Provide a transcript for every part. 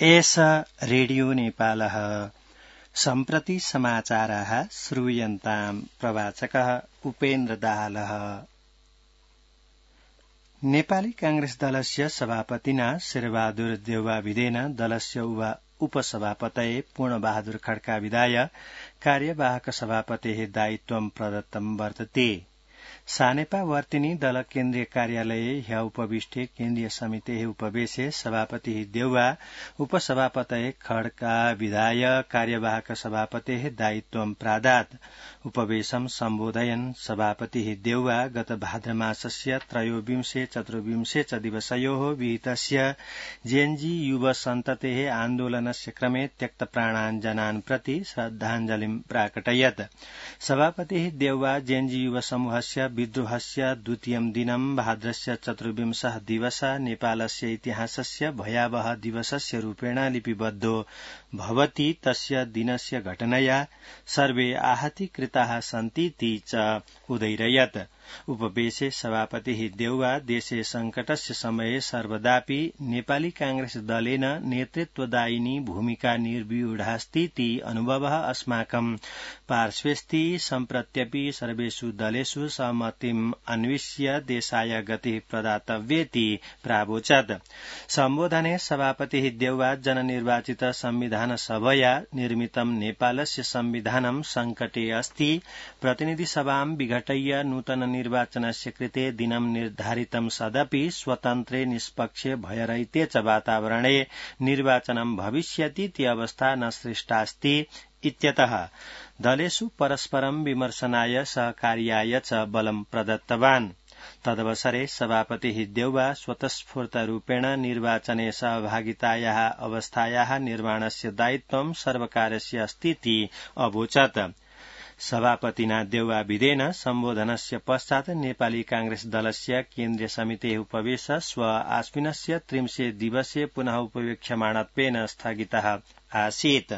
एष रेडियो नेपालः सम्प्रति समाचाराः श्रूयन्ताम् प्रवाचकः उपेन्द्र दाहालः। नेपाली कांग्रेस दलस्य सभापतिना शेरबहादुर देउवाविदेन दलस्य उपसभापतये पूर्णबहादुर खड्का विदाय कार्यवाहक सभापतेः दायित्वं प्रदत्तं वर्तते। सानेपा वर्तिनी दल केन्द्रीय कार्यालये ह्य उपविष्टे केन्द्रीय समितेः उपवेशे सभापतिः देउवा उपसभापतये खड्का विदाय कार्यवाहक सभापतेः दायित्वं प्रादात्। उपवेशं सम्बोधयन् सभापतिः देउवा गत भाद्रमासस्य त्रयोविंशे चतुर्विंशे च दिवसयोः विहितस्य जेएनजी युव सन्ततेः आन्दोलनस्य क्रमे त्यक्तप्राणान् जनान् प्रति श्रद्धाञ्जलिं प्राकटयत्। सभापतिः देउवा जेएनजी युव समूहस्य विद्रोहस्य द्वितीयं दिनं भाद्रस्य चतुर्विंशः दिवसः नेपालस्य इतिहासस्य भयावह दिवसस्य रूपेण लिपिबद्धो भवति। तस्य दिनस्य घटनया सर्वे आहतीकृताः सन्तीति च उदैरयत्। उपवेशे सभापतिः देउवा देशे संकटस्य समये सर्वदापि नेपाली कांग्रेस दलेन नेतृत्वदायिनी भूमिका निर्व्यूढास्तीति अनुभवः अस्माकं पार्श्वेऽस्ति। सम्प्रत्यपि सर्वेषु दलेषु सहमतिम् अन्विष्य देशाय गतिः प्रदातव्येति प्रावोचत्। सम्बोधने सभापतिः देउवा जननिर्वाचित संविधान सभया निर्मितं नेपालस्य संविधानं संकटे अस्ति। प्रतिनिधि सभां विघटय्य नूतन निर्वाचनस्य कृते दिनं निर्धारितं सदपि स्वतन्त्रे निष्पक्षे भयरहिते च वातावरणे निर्वाचनं भविष्यतीति अवस्था न सृष्टास्ति इत्यतः दलेषु परस्परं विमर्शनाय सहकार्याय च बलं प्रदत्तवान्। तदवसरे सभापतिः देउवा स्वतःस्फूर्तरूपेण निर्वाचने सहभागितायाः अवस्थायाः निर्माणस्य दायित्वं सर्वकारस्य अस्तीति अवोचत्। सभापतिना देउवाविदेन सम्बोधनस्य पश्चात् नेपाली कांग्रेस दलस्य केन्द्रीय समितेः उपवेश श्व आश्विनस्य 30 दिवसे पुनः उपवेक्ष्यमाणत्वेन स्थगितः आसीत्।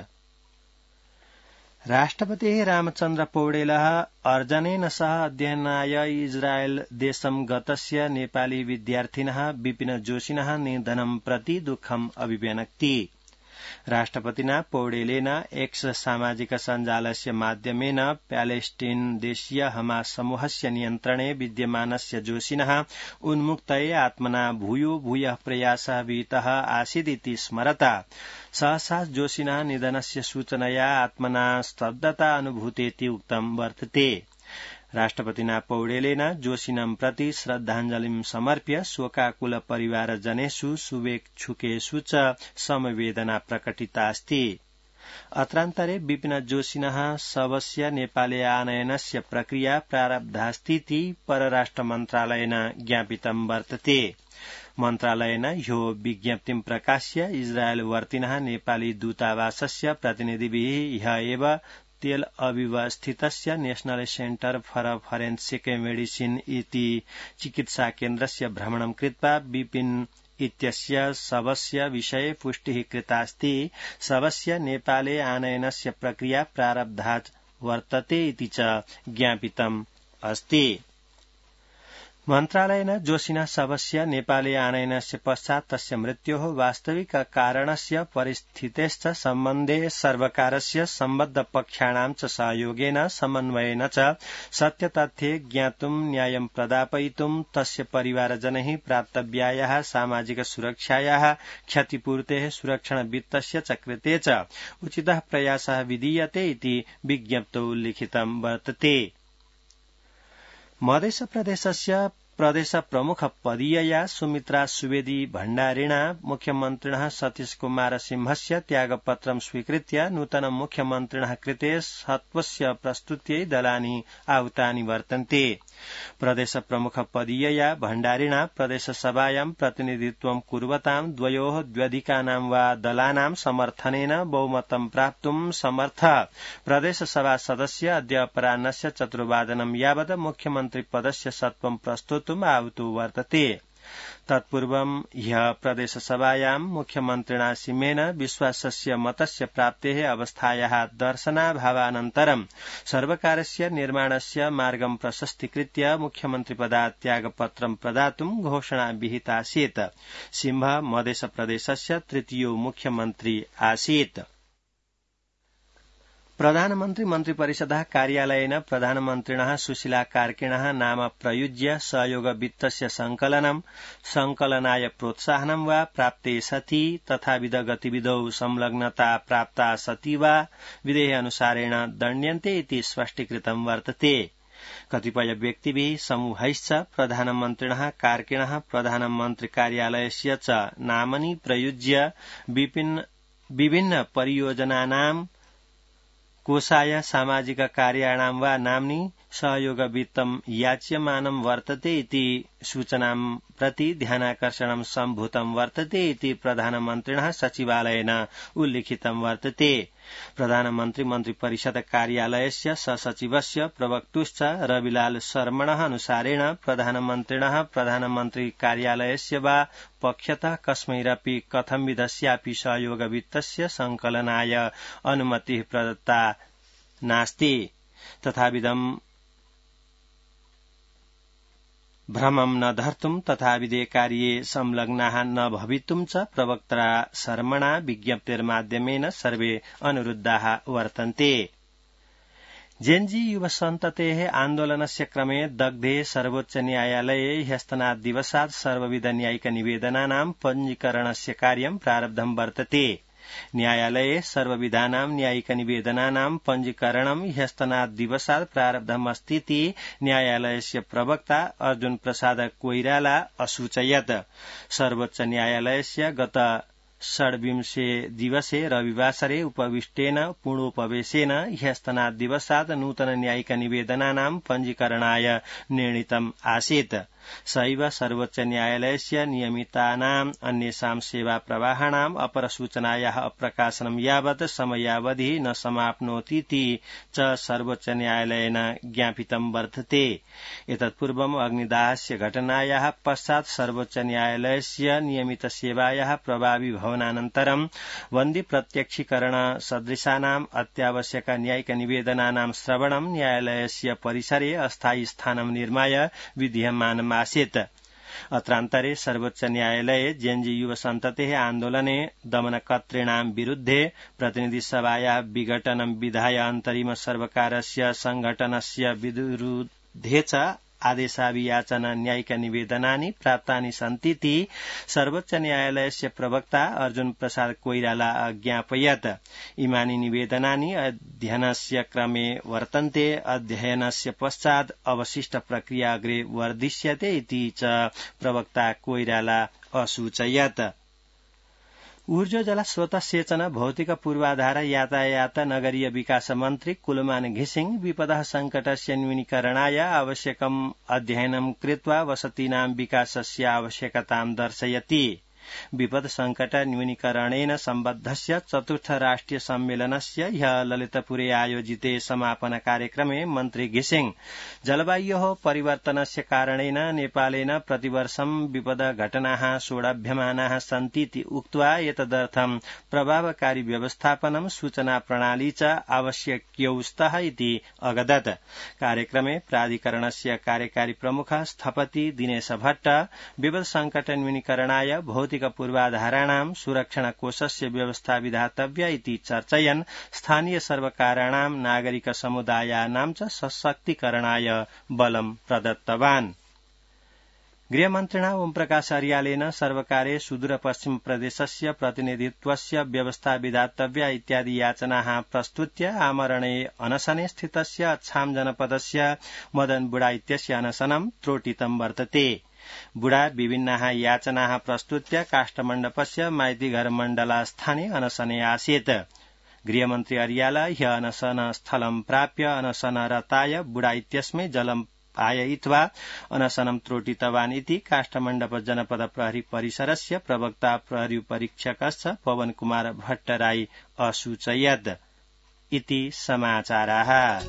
राष्ट्रपतिः रामचन्द्र पौडेलः अर्जनेन सह अध्ययनाय इजरायल देशं गतस्य नेपाली विद्यार्थिनः विपिन जोशिनः निधनं प्रति दुःखम् अभिव्यनक्ति। राष्ट्रपतिना पौडेलेन एक्स सामाजिक सञ्जालस्य माध्यमेन प्यालेस्टिन देशीय हमास समूहस्य नियन्त्रणे विद्यमानस्य जोशिनः उन्मुक्तये आत्मना भूयो भूयः प्रयासः विहितः आसीदिति स्मरता सहसा जोशिनः निधनस्य सूचनया आत्मना स्तब्धता अनुभूतेति उक्तं वर्तते। राष्ट्रपतिना पौडेलेन जोशिनं प्रति श्रद्धाञ्जलिं समर्प्य शोकाकुल परिवारजनेषु शुभेच्छुकेषु च समवेदना प्रकटितास्ति। अत्रान्तरे विपिन जोशिनः शवस्य नेपाले आनयनस्य प्रक्रिया प्रारब्धास्तीति परराष्ट्र मन्त्रालयेन ज्ञापितं वर्तते। मन्त्रालयेन ह्यो विज्ञप्तिं प्रकाश्य इजरायल वर्तिनः नेपाली दूतावासस्य प्रतिनिधिभिः ह्य एव तेल अविव स्थितस्य national centre for forensic medicine इति चिकित्सा केन्द्रस्य भ्रमणं कृत्वा विपिन इत्यस्य शवस्य विषये पुष्टिः कृतास्ति। शवस्य नेपाले आनयनस्य प्रक्रिया प्रारब्धा वर्तते इति च ज्ञापितम् अस्ति। मन्त्रालयेन जोशिनः शवस्य नेपाले आनयनस्य पश्चात् तस्य मृत्योः वास्तविक कारणस्य परिस्थितेश्च सम्बन्धे सर्वकारस्य सम्बद्ध पक्षाणां च सहयोगेन समन्वयेन च सत्यतथ्ये ज्ञातुं न्यायं प्रदापयितुं तस्य परिवारजनैः प्राप्तव्यायाः सामाजिक सुरक्षायाः क्षतिपूर्तेः सुरक्षण वित्तस्य च कृते च उचितः प्रयासः विधीयते इति विज्ञप्तौ लिखितं वर्तते। मध्य प्रदेशस्य प्रदेश प्रमुख पदीयया सुमित्रा सुवेदी भण्डारिणा मुख्यमन्त्रिणः सतीश कुमार सिंहस्य त्यागपत्रं स्वीकृत्य नूतन मुख्यमन्त्रिणः कृते सत्वस्य प्रस्तुत्यै दलानि आहूतानि वर्तन्ते। प्रदेश प्रमुख पदीयया भण्डारिणा प्रदेशसभायां प्रतिनिधित्वं कुर्वतां द्वयोः द्व्यधिकानां वा दलानां समर्थनेन बहुमतं प्राप्तुं समर्थ प्रदेशसभा सदस्य अद्य अपराह्नस्य 4 वादनं यावत् मुख्यमन्त्री पदस्य सत्वं प्रस्तुतुम् आहुतो वर्तते। तत्पूर्वं ह्यः प्रदेशसभायां मुख्यमन्त्रिणा सिंहेन विश्वासस्य मतस्य प्राप्तेः अवस्थायाः दर्शनाभावानन्तरं सर्वकारस्य निर्माणस्य मार्गं प्रशस्तीकृत्य मुख्यमन्त्रिपदात् त्यागपत्रं प्रदातुं घोषणा विहितासीत्। सिंह मधेशप्रदेशस्य तृतीयो मुख्यमन्त्री आसीत्। प्रधानमन्त्री मन्त्रिपरिषदः कार्यालयेन प्रधानमन्त्रिणः सुशीला कार्किणः नाम प्रयुज्य सहयोग वित्तस्य संकलनाय प्रोत्साहनं वा प्राप्ते सति तथाविध गतिविधौ संलग्नता प्राप्ता सति वा विधेय अनुसारेण दण्ड्यन्ते इति स्पष्टीकृतं वर्तते। कतिपय व्यक्तिभिः समूहैश्च प्रधानमन्त्रिणः कार्किणः प्रधानमन्त्री कार्यालयस्य च नामनि प्रयुज्य विभिन्न परियोजनानां कोषाय सामाजिक कार्याणां वा नाम्नि सहयोग वित्तं याच्यमानं वर्तते इति सूचनां प्रति ध्यानाकर्षणं सम्भूतं वर्तते इति प्रधानमन्त्रिणः सचिवालयेन उल्लिखितं वर्तते। प्रधानमन्त्री मन्त्रिपरिषद कार्यालयस्य सचिवस्य प्रवक्तुश्च रविलाल शर्मणः अनुसारेण प्रधानमन्त्रिणः प्रधानमन्त्री कार्यालयस्य वा पक्षतः कस्मैरपि कथंविधस्यापि सहयोग वित्तस्य संकलनाय अनुमतिः प्रदत्ता नास्ति। तथाविधं भ्रमं न धर्तुं तथाविधे कार्ये संलग्नाः न भवितुं च प्रवक्त्रा शर्मणा विज्ञप्तिर्माध्यमेन सर्वे अनुरुद्धाः वर्तन्ते। जेएनजी युवसन्ततेः आन्दोलनस्य क्रमे दग्धे सर्वोच्च न्यायालये ह्यस्तनाद्दिवसात् सर्वविध न्यायिक निवेदनानां पञ्जीकरणस्य कार्यं प्रारब्धं वर्तते। न्यायालये सर्वविधानां न्यायिक निवेदनानां पञ्जीकरणं ह्यस्तनाद्दिवसात् प्रारब्धमस्तीति न्यायालयस्य प्रवक्ता अर्जुन प्रसाद कोइराला असूचयत्। सर्वोच्च न्यायालयस्य गत 26 दिवसे रविवासरे उपविष्टेन पूर्णोपवेशेन ह्यस्तनाद्दिवसात् नूतन न्यायिक निवेदनानां पञ्जीकरणाय निर्णीतम् आसीत्। सैव सर्वोच्च न्यायालयस्य नियमितानाम् अन्येषां सेवा प्रवाहाणाम् अपरसूचनायाः अप्रकाशनं यावत् समयावधिः न समाप्नोतीति च सर्वोच्च न्यायालयेन ज्ञापितं वर्तते। एतत्पूर्वम् अग्निदाहस्य घटनायाः पश्चात् सर्वोच्च न्यायालयस्य नियमित सेवायाः प्रभावी भवनानन्तरं बन्दी प्रत्यक्षीकरण सदृशानाम् अत्यावश्यक न्यायिक निवेदनानां श्रवणं न्यायालयस्य परिसरे अस्थायी स्थानं निर्माय विधीयमानम् आसीत्। अत्रान्तरे सर्वोच्च न्यायालये जेएनजी युवसन्ततेः आन्दोलने दमनकर्तॄणां विरुद्धे प्रतिनिधिसभायाः विघटनं विधाय अन्तरिम सर्वकारस्य संघटनस्य विरुद्धे च आदेशाभियाचन न्यायिक निवेदनानि प्राप्तानि सन्तीति सर्वोच्च न्यायालयस्य प्रवक्ता अर्जुन प्रसाद कोइराला अज्ञापयत्। इमानि निवेदनानि अध्ययनस्य क्रमे वर्तन्ते। अध्ययनस्य पश्चात् अवशिष्ट प्रक्रिया अग्रे वर्धिष्यते इति च प्रवक्ता कोइराला असूचयत्। ऊर्जा स्रोत सेचन भौतिक पूर्वाधार यातायात नगरीय विकास मन्त्री कुलमान घिसिङ विपदः संकटस्य न्यूनीकरणाय आवश्यकम् अध्ययनं कृत्वा वसतीनां विकासस्य आवश्यकतां दर्शयति। विपद संकट न्यूनीकरणेन सम्बद्धस्य चतुर्थ राष्ट्रिय सम्मेलनस्य ह्यः ललितपुरे आयोजिते समापन कार्यक्रमे मन्त्री घिसिङ जलवायोः परिवर्तनस्य कारणेन नेपालेन प्रतिवर्षं विपद घटनाः सोढाभ्यमानाः सन्तीति उक्त्वा एतदर्थं प्रभावकारी व्यवस्थापनं सूचना प्रणाली च आवश्यक्यौ स्तः इति अगदत्। कार्यक्रमे प्राधिकरणस्य कार्यकारी प्रमुख स्थपति दिनेश भट्ट विपद संकट न्यूनीकरणाय भौतिक पूर्वाधाराणां सुरक्षण कोषस्य व्यवस्था विधातव्या इति चर्चयन् स्थानीय सर्वकाराणां नागरिक समुदायानां च सशक्तीकरणाय बलं प्रदत्तवान्। गृहमन्त्रिणा ओमप्रकाश अर्यालेन सर्वकारे सुदूरपश्चिम प्रदेशस्य प्रतिनिधित्वस्य व्यवस्था विधातव्या इत्यादि याचनाः प्रस्तुत्य आमरणे अनशने स्थितस्य अछाम जनपदस्य मदन बुढा इत्यस्य अनशनं त्रोटितं वर्तते। बुढा विभिन्नाः याचनाः प्रस्तुत्य काष्ठमण्डपस्य माइतीघर मण्डलास्थाने अनशने आसीत्। गृहमन्त्री अर्याल ह्यः अनशन स्थलं प्राप्य अनशनरताय बुढा इत्यस्मै जलं पाययित्वा अनशनं त्रोटितवान् इति काष्ठमण्डप जनपद प्रहरी परिसरस्य प्रवक्ता प्रहरी परीक्षकश्च पवन कुमार भट्टराई असूचयत् इति समाचाराः।